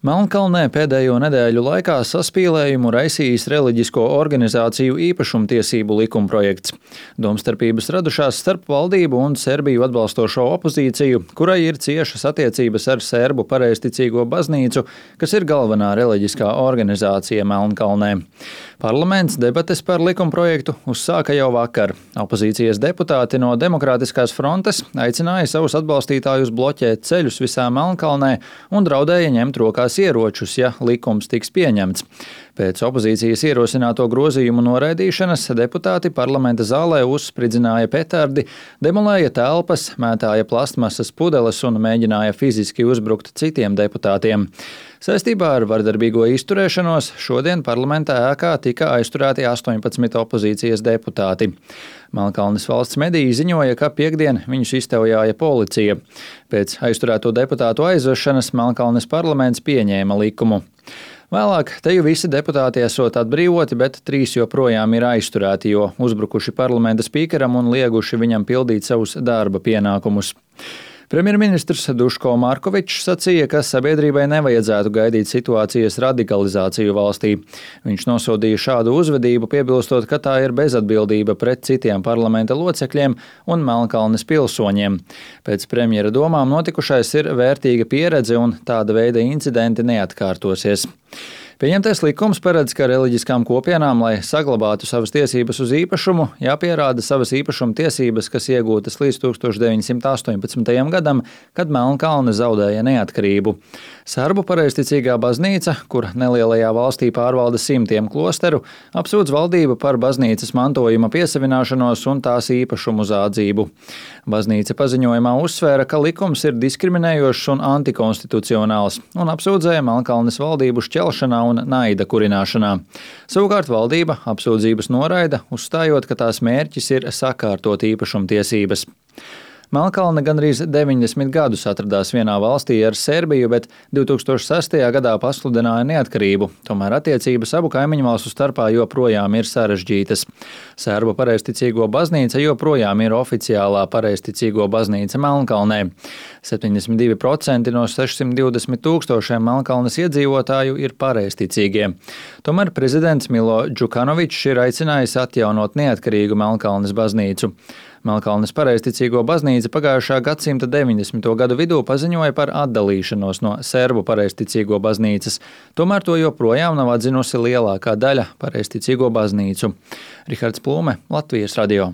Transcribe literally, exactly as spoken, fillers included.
Melnkalnē pēdējo nedēļu laikā saspīlējumu raisījis reliģisko organizāciju īpašumtiesību likumprojekts. Domstarpības radušās starp valdību un Serbiju atbalstošo opozīciju, kurai ir ciešas attiecības ar Serbu pareizticīgo baznīcu, kas ir galvenā reliģiskā organizācija Melnkalnē. Parlaments debates par likumprojektu uzsāka jau vakar. Opozīcijas deputāti no Demokrātiskās frontes aicināja savus atbalstītājus bloķēt ceļus visā Melnkalnē un draudēja ņemt rokās ieročus, ja likums tiks pieņemts. Pēc opozīcijas ierosināto grozījumu noraidīšanas deputāti parlamenta zālē uzspridzināja petardi, demolēja telpas, mētāja plastmasas pudeles un mēģināja fiziski uzbrukt citiem deputātiem. Saistībā ar vardarbīgo izturēšanos šodien parlamentā ēkā tika aizturēti astoņpadsmit opozīcijas deputāti. Melnkalnes valsts mediji ziņoja, ka piektdien viņus iztaujāja policija. Pēc aizturēto deputātu aizvešanas Melnkalnes parlaments pieņēma likumu. Vēlāk te jau visi deputāti esot atbrīvoti, bet trīs joprojām ir aizturēti, jo uzbrukuši parlamenta spīkeram un lieguši viņam pildīt savus darba pienākumus. Premjerministrs Duško Markovičs sacīja, ka sabiedrībai nevajadzētu gaidīt situācijas radikalizāciju valstī. Viņš nosodīja šādu uzvedību, piebilstot, ka tā ir bezatbildība pret citiem parlamenta locekļiem un Melnkalnes pilsoņiem. Pēc premjera domām notikušais ir vērtīga pieredze un tāda veida incidenti neatkārtosies. Pieņemtais likums paredz, ka reliģiskām kopienām, lai saglabātu savas tiesības uz īpašumu, jāpierāda savas īpašuma tiesības, kas iegūtas līdz tūkstoš deviņsimt astoņpadsmitajam gadam, kad Melnkalne zaudēja neatkarību. Serbu pareizticīgā baznīca, kur nelielajā valstī pārvalda simtiem klosteru, apsūdz valdību par baznīcas mantojuma piesavināšanos un tās īpašumu zādzību. Baznīca paziņojumā uzsvēra, ka likums ir diskriminējošs un antikonstitucionāls, un apsūdzēja Melnkalnes valdību šķelšanā un naida kurināšanā. Savukārt valdība apsūdzības noraida, uzstājot, ka tās mērķis ir sakārtot īpašumtiesības. Melnkalne gandrīz deviņdesmit gadus atradās vienā valstī ar Serbiju, bet divi tūkstoši sestajā gadā pasludināja neatkarību. Tomēr attiecības abu kaimiņu valstu starpā joprojām ir sarežģītas. Serbu pareizticīgo baznīca joprojām ir oficiālā pareizticīgo baznīca Melnkalnē. septiņdesmit divi procenti no sešsimt divdesmit tūkstošiem Melnkalnes iedzīvotāju ir pareizticīgie. Tomēr prezidents Milo Džukanovičs ir aicinājis atjaunot neatkarīgu Melnkalnes baznīcu. Melnkalnes pareizticīgo baznīca pagājušā gadsimta deviņdesmito gadu vidū paziņoja par atdalīšanos no Serbu pareizticīgo baznīcas, tomēr to joprojām nav atzinusi lielākā daļa pareizticīgo baznīcu. Rihards Plūme, Latvijas radio.